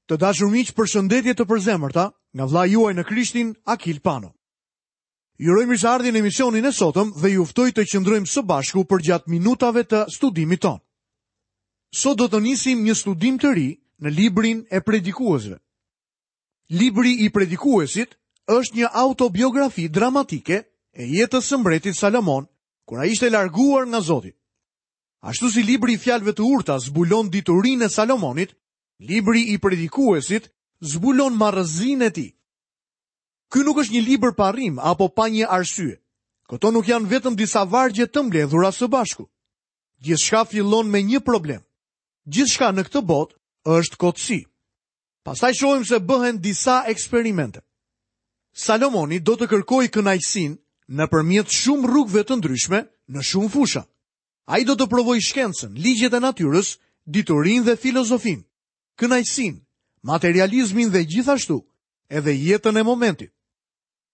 Të dashur miq, përshëndetje të përzemërta nga vëllai juaj në Krishtin, Akil Pano. Ju uroj mirëseardhje në emisionin e sotëm dhe ju ftoj të qëndrojmë së bashku përgjatë minutave të studimit tonë. Sot do të nisim një studim të ri në librin e predikuesve. Libri i predikuesit është një autobiografi dramatike e jetës së mbretit Salomon, kur ai ishte larguar nga Zoti. Ashtu si libri i fjalëve të urta zbulon diturinë e Salomonit, libri i predikuesit zbulon marrëzinë e tij. Ky nuk është një libër pa rrimë apo pa një arsye. Këto nuk janë vetëm disa vargje të mbledhura së bashku. Gjithçka fillon me një problem. Gjithçka në këtë botë është kotësi. Pastaj shohim se bëhen disa eksperimente. Salomoni do të kërkojë kënaqësinë nëpërmjet shumë rrugëve të ndryshme në shumë fusha. Ai do të provojë shkencën, ligjet e natyrës, diturinë dhe filozofinë, kënaqësinë, materializmin dhe gjithashtu edhe jetën e momentit.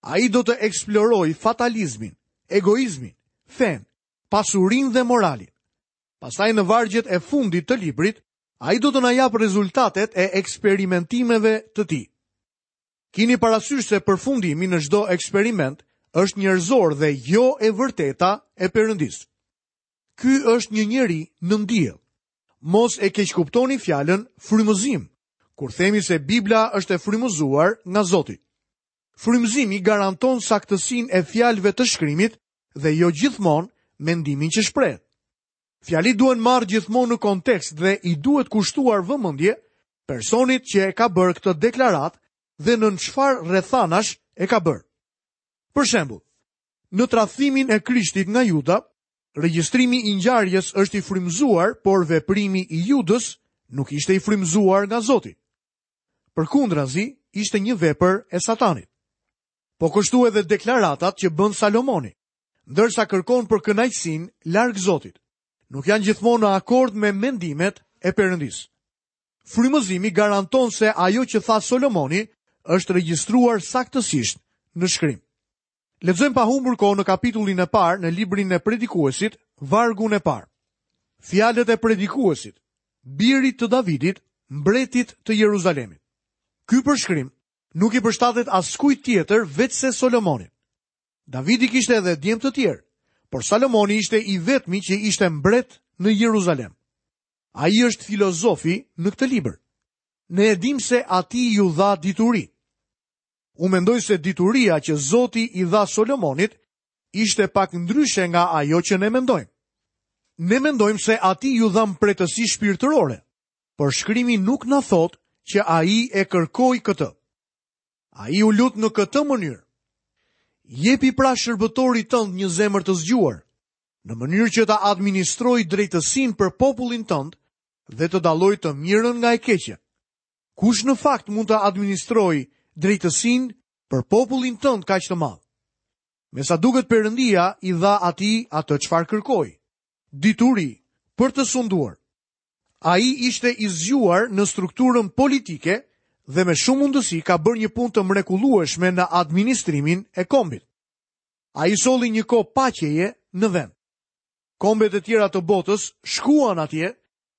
Ai do të eksplorojë fatalizmin, egoizmin, fenë, pasurinë dhe moralin. Pastaj në vargjet e fundit të librit, ai do të na japë rezultatet e eksperimentimeve të tij. Kini parasysh se përfundimi në çdo eksperiment është njerëzor dhe jo e vërteta e Perëndisë. Ky është një njeri nën diell. Mos e keqkuptoni fjalën frymëzim, kur themi se Bibla është e frymëzuar nga Zoti. Frymëzimi garanton saktësinë e fjalëve të shkrimit dhe jo gjithmonë mendimin që shprehet. Fjalitë duhen marrë gjithmonë në kontekst dhe i duhet kushtuar vëmendje personit që e ka bërë këtë deklaratë dhe nën çfarë rrethanash e ka bërë. Për shembull, në tradhtimin e Krishtit nga Juda, regjistrimi i ngjarjes është i frymëzuar, por veprimi i Judës nuk ishte i frymëzuar nga Zoti. Përkundrazi, ishte një vepër e Satanit. Po kështu edhe deklaratat që bën Salomoni. ndërsa kërkon për kënaqësinë larg Zotit, nuk janë gjithmonë në akord me mendimet e Perëndisë. Frymëzimi garanton se ajo që tha Solomoni është regjistruar saktësisht në shkrim. Lexojmë pa humbur kohë në kapitullin e parë në librin e Predikuesit, vargun e parë. Fjalët e Predikuesit, birit të Davidit, mbretit të Jeruzalemit. Ky përshkrim nuk i përshtatet askujt tjetër veçse Solomonit. Davidi kishte edhe djem të tjerë, por Salomoni ishte i vetmi që ishte mbret në Jeruzalem. Ai është filozofi në këtë libër. Ne e dimë se atij iu dha dituri. Unë mendoj se dituria që Zoti i dha Solomonit ishte pak ndryshe nga ajo që ne mendojmë. Ne mendojmë se atij iu dha mprehtësi shpirtërore, por shkrimi nuk na thotë që ai e kërkoi këtë. Ai u lut në këtë mënyrë. Jepi pra shërbëtorit tënd një zemër të zgjuar, në mënyrë që ta administrojë drejtësinë për popullin tënd dhe të dallojë të mirën nga e keqja. Kush në fakt mund të administrojë drejtësinë për popullin tënd kaq të madh? Me sa duket Perëndia i dha atij atë çfarë kërkoi, dituri për të sunduar. Ai ishte i zgjuar në strukturën politike dhe me shumë mundësi ka bërë një punë të mrekullueshme në administrimin e kombit. Ai solli një kohë paqeje në vend. Kombet e tjera të botës shkuan atje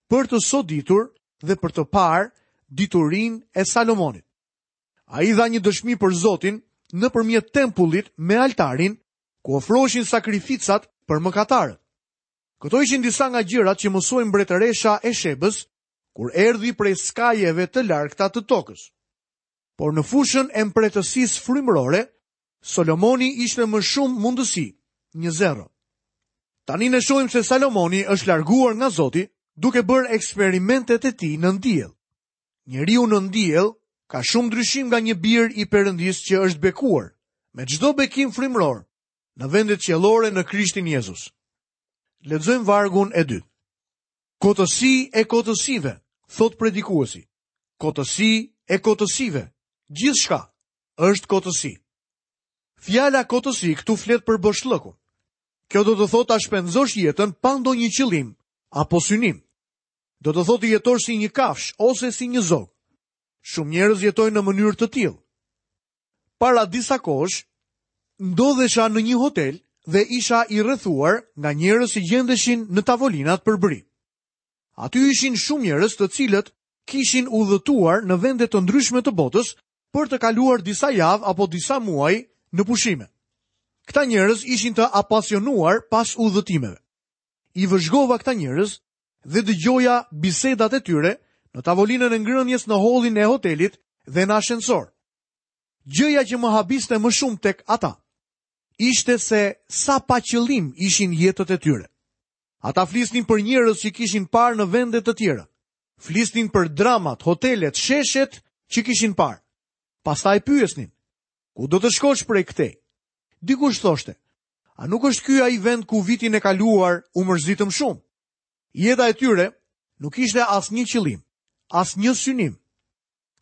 për të soditur dhe për të parë diturinë e Salomonit. Ai dha një dëshmi për Zotin nëpërmjet tempullit me altarin ku ofroheshin sakrificat për mëkatarët. Këto ishin disa nga gjërat që mësoi mbretëresha e Shebës kur erdhi prej skajeve të largëta të tokës. Por në fushën e mprehtësisë frymërore, Solomoni ishte me shumë mundësi, një zero. Tani ne shohim se Salomoni është larguar nga Zoti duke bërë eksperimentet e tij nën diell. Njeriu nën diell ka shumë ndryshim nga një bir i Perëndisë që është bekuar me çdo bekim frymëror në vendet qiellore në Krishtin Jezus. Lexojmë vargun e dytë. Kotësi e kotësive, thotë predikuesi. Kotësi e kotësive. Gjithçka është kotësi. Fjala kotësi këtu flet për boshllëkun. Kjo do të thotë ta shpenzosh jetën pa ndonjë qëllim apo synim. Do të thotë të jetosh si një kafshë ose si një zog. Shumë njerëz jetojnë në mënyrë të tillë. Para disa kohësh, ndodhesha në një hotel dhe isha i rrethuar nga njerëz që gjendeshin në tavolinat përbri. Aty ishin shumë njerëz të cilët kishin udhëtuar në vende të ndryshme të botës për të kaluar disa javë apo disa muaj në pushime. Këta njerëz ishin të apasionuar pas udhëtimeve. I vëzhgova këta njerëz dhe dëgjoja bisedat e tyre në tavolinën e ngrënies në hollin e hotelit dhe në ashensor. Gjëja që më habiste më shumë tek ata ishte se sa pa qëllim ishin jetët e tyre. Ata flisnin për njerëz që kishin parë në vende të tjera. Flisnin për dramat, hotelet, sheshet që kishin parë. Pastaj pyesnin, ku do të shkosh prej këtej? Dikush thoshte, a nuk është ky ai vend ku vitin e kaluar u mërzitëm shumë? Jeta e tyre nuk ishte asnjë qëllim, asnjë synim.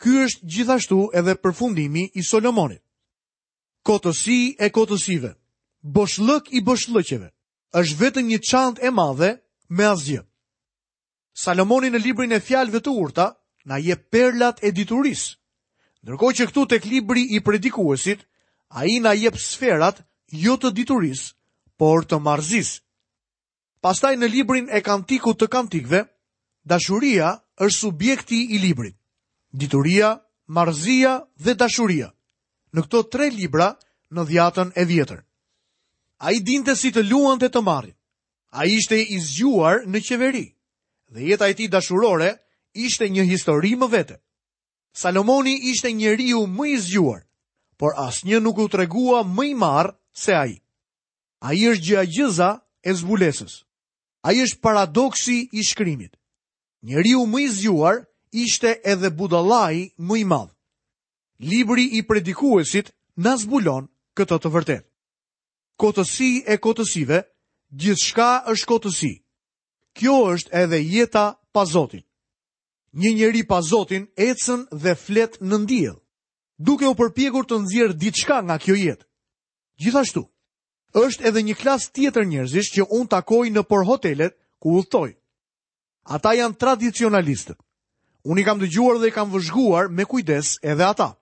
Ky është gjithashtu edhe përfundimi i Solomonit. Kotësi e kotësive, boshllëk i boshllëqeve, është vetëm një çantë e madhe me asgjë. Salomoni në librin e fjalëve të urta na jep perlat e diturisë. Ndërkohë që këtu tek libri i predikuesit, ai na jep sferat jo të diturisë, por të marrëzisë. Pastaj në librin e Kantikut të Kantikëve, dashuria është subjekti i librit. Dituria, marrëzia dhe dashuria. Në këto tre libra në dhjatën e vjetër. Ai dinte si të luante të marrin. Ai ishte i zgjuar në qeveri dhe jeta e tij dashurore ishte një histori më vete. Salomoni ishte njeriu më i zgjuar, por asnjë nuk u tregua më i marrë se ai. Ai është gjëegjëza e zbulesës. Ai është paradoksi i shkrimit. Njeriu më i zgjuar ishte edhe budallai më i madh. Libri i predikuesit na zbulon këtë të vërtetë. Kotësi e kotësive, gjithçka është kotësi. Kjo është edhe jeta pa Zotin. Një njeri pa Zotin ecën dhe flet nën diell, duke u përpjekur të nxjerrë diçka nga kjo jetë. Gjithashtu, është edhe një klasë tjetër njerëzish që unë takoj nëpër hotelet ku udhëtoj. Ata janë tradicionalistët. Unë i kam dëgjuar dhe i kam vëzhguar me kujdes edhe ata.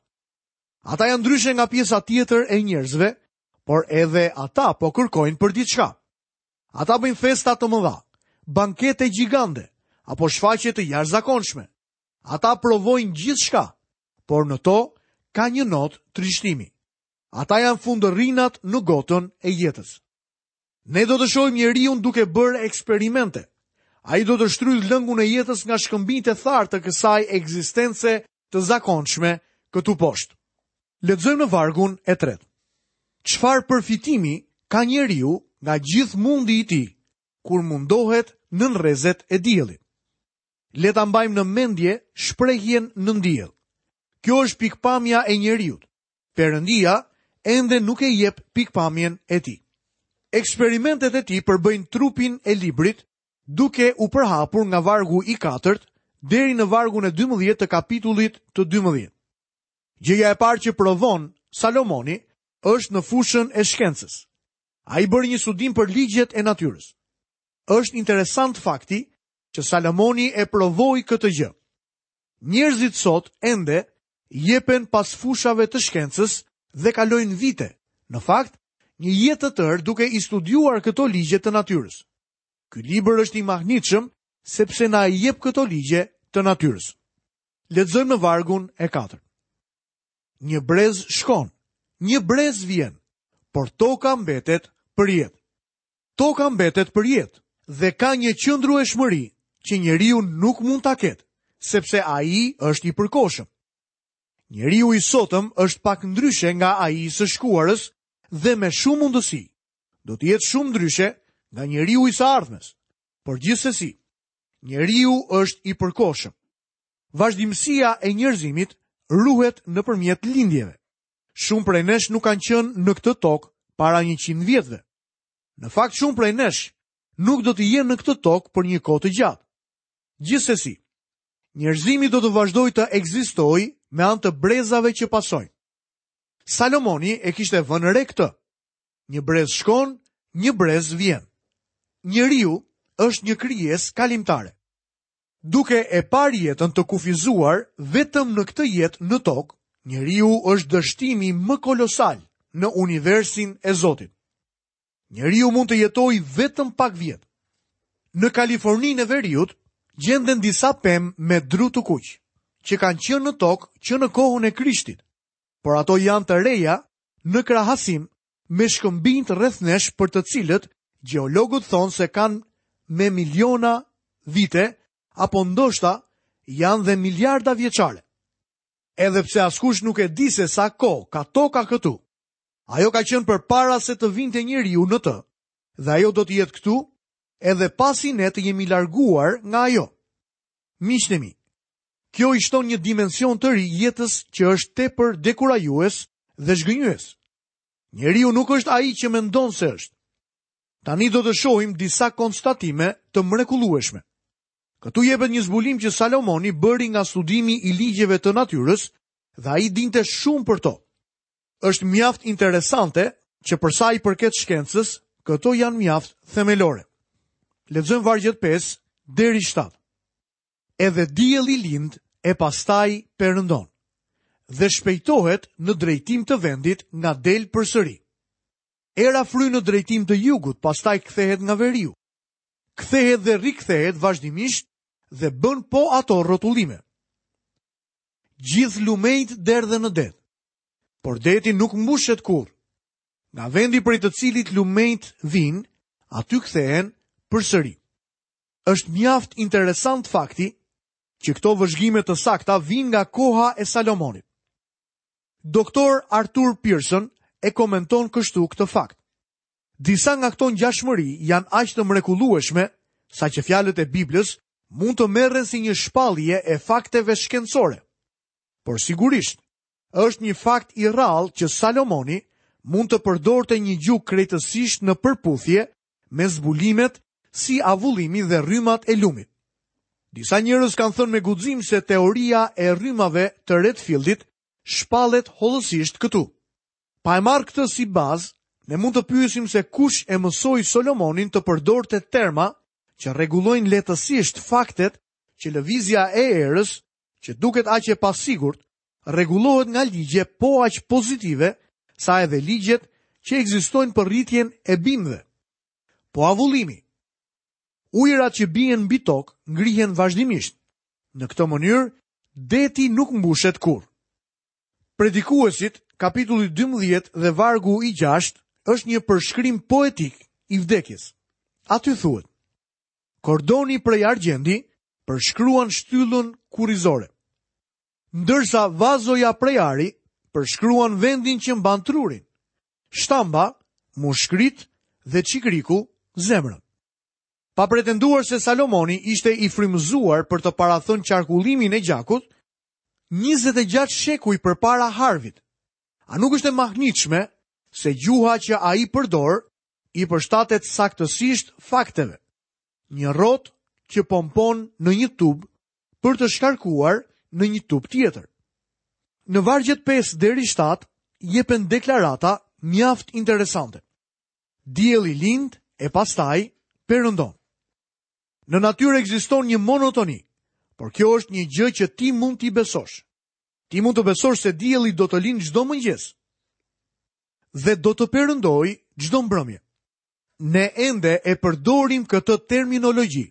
Ata janë ndryshe nga pjesa tjetër e njerëzve, por edhe ata po kërkojnë për diçka. Ata bëjnë festa të mëdha, bankete gjigande apo shfaqje të jashtëzakonshme. Ata provojnë gjithçka, por në to ka një notë trishtimi. Ata janë fundërrinat në gotën e jetës. Ne do të shohim njeriun duke bërë eksperimente. Ai do të shtrydhë lëngun e jetës nga shkëmbinjtë e tharë të kësaj ekzistence të zakonshme këtu poshtë. Lexojmë në vargun e tretë. Çfarë përfitimi ka njeriu nga gjithë mundi i tij kur mundohet nën rrezet e diellit? Le ta mbajmë në mendje shprehjen nën diell. Kjo është pikëpamja e njeriut. Perëndia ende nuk e jep pikëpamjen e tij. Eksperimentet e tij përbëjnë trupin e librit, duke u përhapur nga vargu i katërt deri në vargun e 12 të kapitullit të 12. Gjëja e parë që provon Salomoni është në fushën e shkencës. Ai bëri një studim për ligjet e natyrës. Është interesant fakti që Salomoni e provoi këtë gjë. Njerëzit sot ende jepen pas fushave të shkencës dhe kalojnë vite, në fakt, një jetë të tërë duke i studiuar këto ligje të natyrës. Ky libër është i mahnitshëm sepse na i jep këto ligje të natyrës. Lexojmë në vargun e 4. Një brez shkon, një brez vjen, por toka mbetet përjetë. Toka mbetet përjetë dhe ka një qëndrueshmëri që njeriu nuk mund ta ketë, sepse ai është i përkohshëm. Njeriu i sotëm është pak ndryshe nga ai i së shkuarës dhe me shumë mundësi do të jetë shumë ndryshe nga njeriu i së ardhmes. Por gjithsesi, njeriu është i përkohshëm. Vazhdimësia e njerëzimit ruhet nëpërmjet lindjeve. Shumë prej nesh nuk kanë qenë në këtë tokë para 100 vjetëve. Në fakt shumë prej nesh nuk do të jenë në këtë tokë për një kohë të gjatë. Gjithsesi, njerëzimi do të vazhdojë të ekzistojë me anë të brezave që pasojnë. Salomoni e kishte vënë re këtë. Një brez shkon, një brez vjen. Njeriu është një krijesë kalimtare. Duke e parë jetën të kufizuar vetëm në këtë jetë në tokë, njeriu është dështimi më kolosal në universin e Zotit. Njeriu mund të jetojë vetëm pak vjet. Në Kaliforninë e Veriut gjenden disa pemë me dru të kuq. që kanë qenë në tokë që në kohën e Krishtit, por ato janë të reja në krahasim me shkëmbinjtë rreth nesh për të cilët gjeologët thonë se kanë me miliona vite apo ndoshta janë dhe miliarda vjeçare. Edhe pse askush nuk e di se sa kohë ka toka këtu, ajo ka qenë përpara se të vinte njeriu në të, dhe ajo do të jetë këtu edhe pasi ne të jemi larguar nga ajo. Miqtë e mi, kjo i shton një dimension të ri jetës që është tepër dekurajues dhe zhgënjyes. Njeriu nuk është ai që mendon se është. Tani do të shohim disa konstatime të mrekullueshme. Këtu jepet një zbulim që Salomoni bëri nga studimi i ligjeve të natyrës dhe ai dinte shumë për to. Është mjaft interesante që për sa i përket shkencës, këto janë mjaft themelore. Lexojmë vargjet 5 deri 7. Edhe dielli lind e pastaj perëndon dhe shpejtohet në drejtim të vendit nga del përsëri. Era fryn në drejtim të jugut, pastaj kthehet nga veriu. Kthehet dhe rikthehet vazhdimisht dhe bën po ato rrotullime. Gjithë lumenjtë derdhen në det, por deti nuk mbushet kurrë. Nga vendi prej të cilit lumenjtë vijnë, aty kthehen përsëri. Është mjaft interesant fakti që këto vëzhgime të sakta vijnë nga koha e Salomonit. Doktor Arthur Pierson e komenton kështu këtë fakt. Disa nga këto ngjashmëri janë aq të mrekullueshme saqë fjalët e Biblës mund të merren si një shpallje e fakteve shkencore. Por sigurisht, është një fakt i rrallë që Salomoni mund të përdorte një gjuhë krejtësisht në përputhje me zbulimet si avullimi dhe rrymat e lumit. Disa njerëz kanë thënë me guxim se teoria e rrymave të Redfieldit shpallet hollësisht këtu. Pa e marrë këtë si bazë, ne mund të pyesim se kush e mësoi Solomonin të përdorte terma që rregullojnë lehtësisht faktet që lëvizja e erës, që duket aq e pasigurt, rregullohet nga ligje po aq pozitive sa edhe ligjet që ekzistojnë për rritjen e bimëve. Po avullimi. Ujërat që bien mbi tokë ngrihen vazhdimisht. Në këtë mënyrë, deti nuk mbushet kurrë. Predikuesit, kapitulli 12 dhe vargu i 6 është një përshkrim poetik i vdekjes. Aty thuhet: Kordoni prej argjendi përshkruan shtyllën kurrizore. Ndërsa vazoja prej ari përshkruan vendin që mban trurin. Shtamba, mushkëritë dhe çikriku zemrën. Pa pretenduar se Salomoni ishte i frymëzuar për të parathënë qarkullimin e gjakut, 26 shekuj përpara Harvit. A nuk është e mahnitshme se gjuha që ai përdor i përshtatet saktësisht fakteve? Një rrotë që pompon në një tub për të shkarkuar në një tub tjetër. Në vargjet 5 deri 7 jepen deklarata mjaft interesante. Dielli lind e pastaj perëndon. Në natyrë ekziston një monotoni, por kjo është një gjë që ti mund t'i besosh. Ti mund të besosh se dielli do të lindë çdo mëngjes dhe do të perëndojë çdo mbrëmje. Ne ende e përdorim këtë terminologji,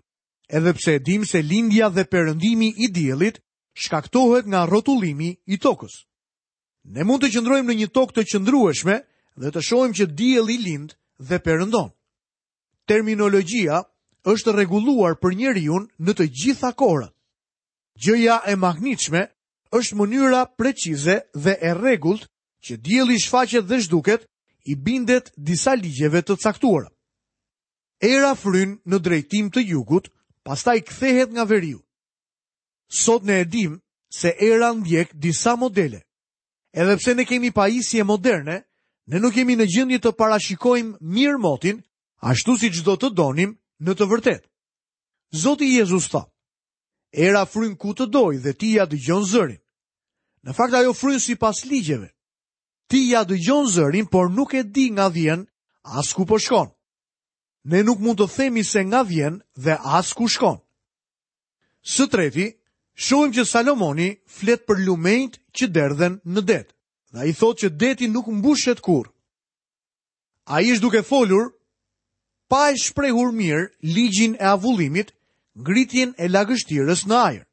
edhe pse e dimë se lindja dhe perëndimi i diellit shkaktohet nga rrotullimi i tokës. Ne mund të qëndrojmë në një tokë të qëndrueshme dhe të shohim që dielli lind dhe perëndon. Terminologjia është rregulluar për njeriun në të gjitha kohërat. Gjëja e mahnitshme është mënyra precize dhe e rregullt që dielli shfaqet dhe zhduket i bindet disa ligjeve të caktuara. Era fryn në drejtim të jugut, pastaj kthehet nga veriu. Sot ne e dimë se era ndjek disa modele. Edhe pse ne kemi pajisje moderne, ne nuk jemi në gjendje të parashikojmë mirë motin, ashtu siç do të donim në të vërtetë. Zoti Jezus tha, era fryn ku të dojë dhe ti ia dëgjon zërin. Në fakt ajo fryn sipas ligjeve. Ti ia dëgjon zërin, por nuk e di nga vjen, as ku po shkon. Ne nuk mund të themi se nga vjen dhe as ku shkon. Së treti, shohim që Salomoni flet për lumenjtë që derdhen në det. Dhe ai thotë që deti nuk mbushet kurrë. Ai është duke folur pa e shprehur mirë ligjin e avullimit, ngritjen e lagështirës në ajër.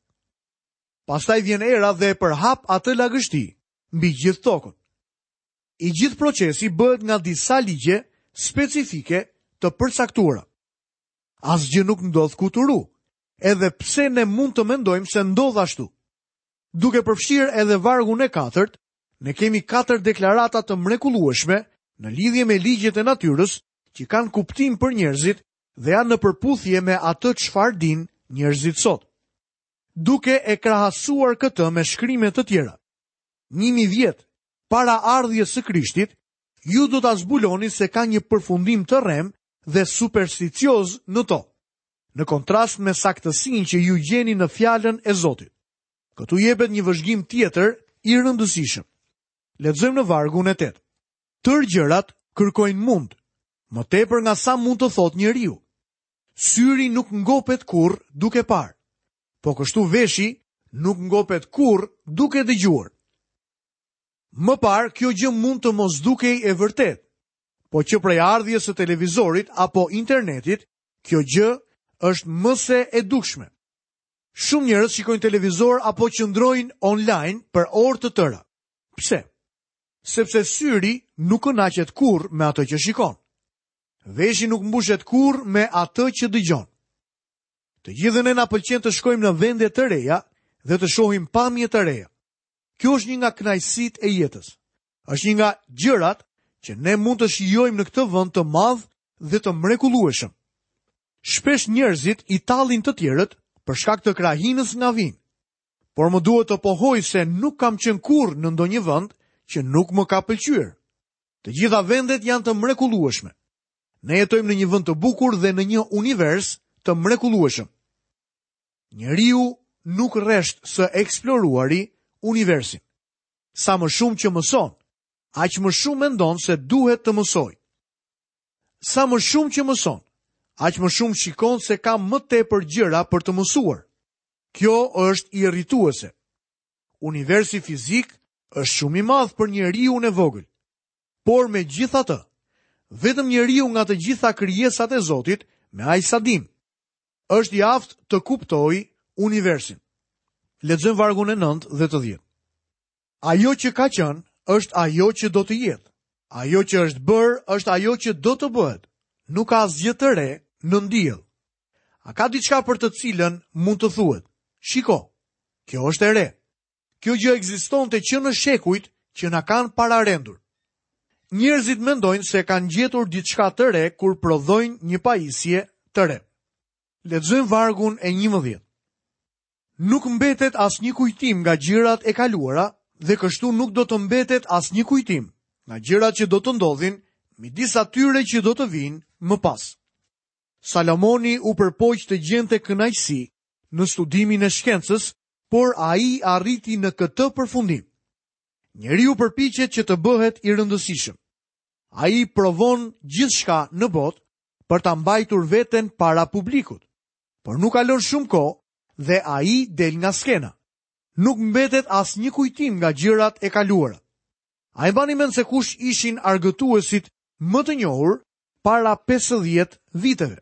Pastaj vjen era dhe e përhap atë lagështi mbi gjithë tokën. I gjithë procesi bëhet nga disa ligje specifike të përcaktuara. Asgjë nuk ndodh kuturu, edhe pse ne mund të mendojmë se ndodh ashtu. Duke përfshirë edhe vargun e katërt, ne kemi katër deklarata të mrekullueshme në lidhje me ligjet e natyrës që kanë kuptim për njerëzit dhe janë në përputhje me atë çfarë dinë njerëzit sot. Duke e krahasuar këtë me shkrime të tjera. 1000 vjet para ardhjes së Krishtit, ju do ta zbuloni se ka një përfundim të rremë dhe supersticioz në to, në kontrast me saktësinë që ju gjeni në fjalën e Zotit. Këtu jepet një vëzhgim tjetër i rëndësishëm. Lexojmë në vargun e 8. Tërë gjërat kërkojnë mund, më tepër nga sa mund të thotë njeriu. Syri nuk ngopet kurrë duke parë. Po kështu veshi nuk ngopet kurrë duke dëgjuar. Më parë kjo gjë mund të mos dukej e vërtetë, po që prej ardhjes së televizorit apo internetit, kjo gjë është më se e dukshme. Shumë njerëz shikojnë televizor apo qëndrojnë online për orë të tëra. Pse? Sepse syri nuk kënaqet kurrë me atë që shikon. Veshi nuk mbushet kurrë me atë që dëgjon. Të gjithë ne na pëlqen të shkojmë në vende të reja dhe të shohim pamje të reja. Kjo është një nga kënaqësitë e jetës. Është një nga gjërat që ne mund të shijojmë në këtë vend të madh dhe të mrekullueshëm. Shpesh njerëzit i tallin të tjerët për shkak të krahinës nga vijnë. Por më duhet të pohoj se nuk kam qenë kurrë në ndonjë vend që nuk më ka pëlqyer. Të gjitha vendet janë të mrekullueshme. Ne jetojmë në një vend të bukur dhe në një univers të mrekullueshëm. Njeriu nuk rresht së eksploruari universin. Sa më shumë që mëson, aq më shumë mendon se duhet të mësojë. Sa më shumë që mëson, aq më shumë shikon se ka më tepër gjëra për të mësuar. Kjo është irrituese. Universi fizik është shumë i madh për njeriun e vogël. Por megjithatë, vetëm njeriu nga të gjitha krijesat e Zotit, me aq sa dimë, është i aftë të kuptojë universin. Lexojmë vargun e 9 dhe të 10. Ajo që ka qenë është ajo që do të jetë. Ajo që është bërë është ajo që do të bëhet. Nuk ka asgjë të re nën diell. A ka diçka për të cilën mund të thuhet? Shiko, kjo është e re. Kjo gjë ekzistonte që në shekujt që na kanë pararendur. Njerëzit mendojnë se kanë gjetur diçka të re kur prodhojnë një pajisje të re. Lexojmë vargun e 11. Nuk mbetet asnjë kujtim nga gjërat e kaluara dhe kështu nuk do të mbetet asnjë kujtim nga gjërat që do të ndodhin midis atyre që do të vijnë më pas. Salomoni u përpoq të gjente kënaqësi në studimin e shkencës, por ai arriti në këtë përfundim. Njeriu përpiqet që të bëhet i rëndësishëm. Ai provon gjithçka në botë për ta mbajtur veten para publikut. Por nuk kalon shumë kohë dhe ai del nga skena. Nuk mbetet asnjë kujtim nga gjërat e kaluara. A e mbani mend se kush ishin argëtuesit më të njohur para 50 viteve?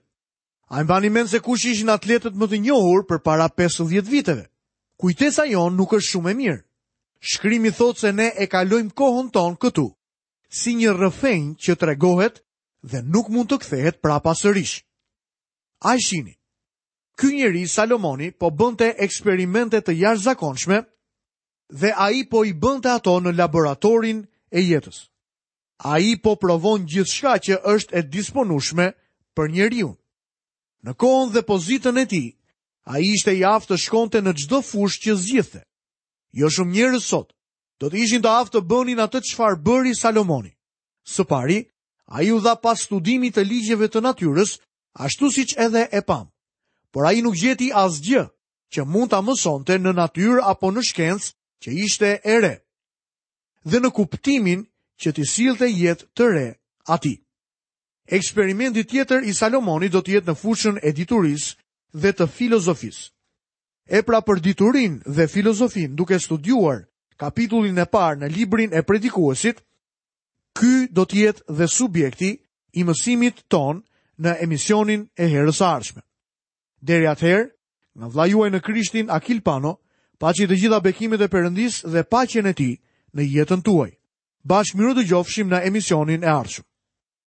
A e mbani mend se kush ishin atletët më të njohur përpara 50 viteve? Kujtesa jonë nuk është shumë e mirë. Shkrimi thotë se ne e kalojmë kohën tonë këtu, si një rrëfenjë që tregohet dhe nuk mund të kthehet prapa sërish. A e shihni? Ky njeri Salomoni po bënte eksperimente të jashtëzakonshme dhe ai po i bënte ato në laboratorin e jetës. Ai po provon gjithçka që është e disponueshme për njeriun. Në kohën dhe pozitën e tij, ai ishte i aftë të shkonte në çdo fushë që zgjidhte. Jo shumë njerëz sot do të ishin të aftë të bënin atë çfarë bëri Salomoni. Së pari, ai u dha pas studimit të ligjeve të natyrës, ashtu siç edhe e pamë. Por ai nuk gjeti asgjë që mund ta mësonte në natyrë apo në shkencë që ishte e re. Dhe në kuptimin që t'i sillte jetë të re atij. Eksperimenti tjetër i Salomonit do të jetë në fushën e diturisë dhe të filozofisë. E pra për diturinë dhe filozofinë duke studiuar kapitullin e parë në librin e predikuesit, ky do të jetë dhe subjekti i mësimit tonë në emisionin e herës së ardhshme. Deri atëherë, nga vëllai juaj në Krishtin Akil Pano, Paçi të gjitha bekimet e Perëndisë dhe paqen e tij në jetën tuaj. Bashkë mirudëgjofshim në emisionin e ardhshëm.